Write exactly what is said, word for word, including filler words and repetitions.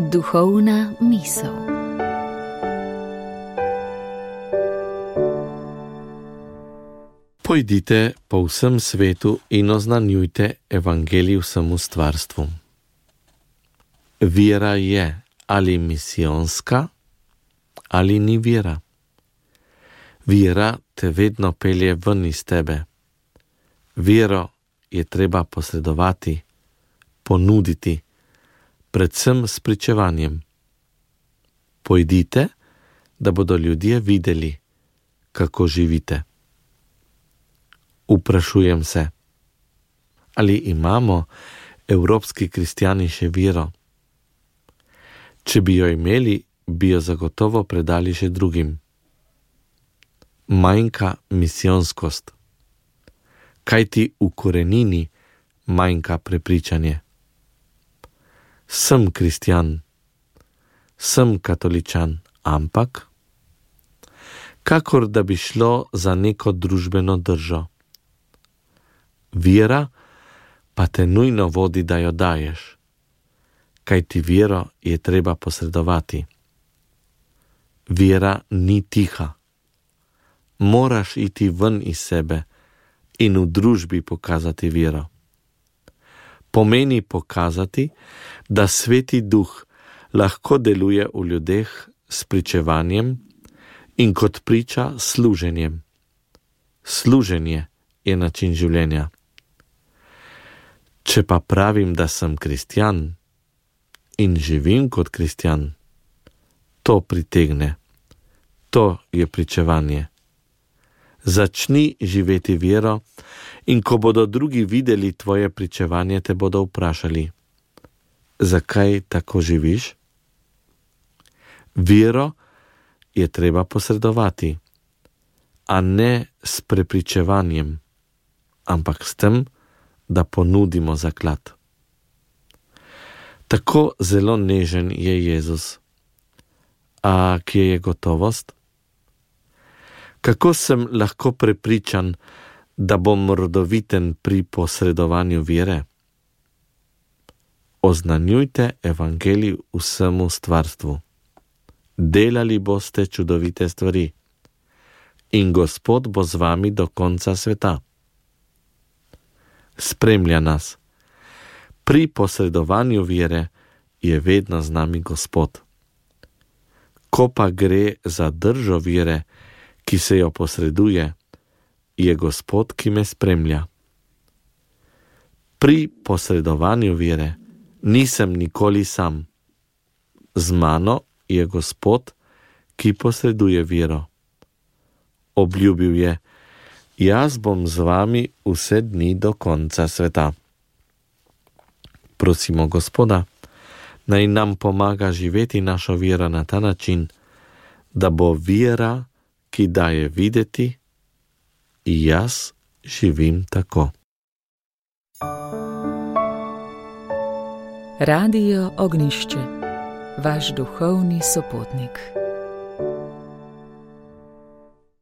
Duhovna misel. Pojdite po vsem svetu in oznanjujte evangelij vsemu stvarstvu. Vera je ali misijonska, ali ni vera. Vera te vedno pelje ven iz tebe. Vero je treba posredovati, ponuditi, predvsem s pričevanjem. Pojdite, da bodo ljudje videli, kako živite. Vprašujem se, ali imamo evropski kristjani še vero? Če bi jo imeli, bi jo zagotovo predali še drugim. Manjka misijonskost. Kajti v korenini manjka prepričanje. Sem kristjan, sem katoličan, ampak kakor da bi šlo za neko družbeno držo. Vera pa te nujno vodi, da jo daješ, kajti vero je treba posredovati. Vera ni tiha. Moraš iti ven iz sebe in v družbi pokazati vero. Pomeni pokazati, da Sveti Duh lahko deluje v ljudeh s pričevanjem in kot priča služenjem. Služenje je način življenja. Če pa pravim, da sem kristjan in živim kot kristjan, to pritegne. To je pričevanje. Začni živeti vero in ko bodo drugi videli tvoje pričevanje, te bodo vprašali, zakaj tako živiš? Vero je treba posredovati, a ne s prepričevanjem, ampak s tem, da ponudimo zaklad. Tako zelo nežen je Jezus. A kje je gotovost? Kako sem lahko prepričan, da bom rodoviten pri posredovanju vere? Oznanjujte evangelij vsemu stvarstvu. Delali boste čudovite stvari in Gospod bo z vami do konca sveta. Spremlja nas. Pri posredovanju vere je vedno z nami Gospod. Ko pa gre za držo vere, ki se jo posreduje, je Gospod, ki me spremlja. Pri posredovanju vere nisem nikoli sam. Z mano je Gospod, ki posreduje vero. Obljubil je, jaz bom z vami vse dni do konca sveta. Prosimo Gospoda, naj nam pomaga živeti našo vero na ta način, da bo vera, ki daje videti, jaz živim tako. Radio Ognišče, vaš duhovni sopotnik.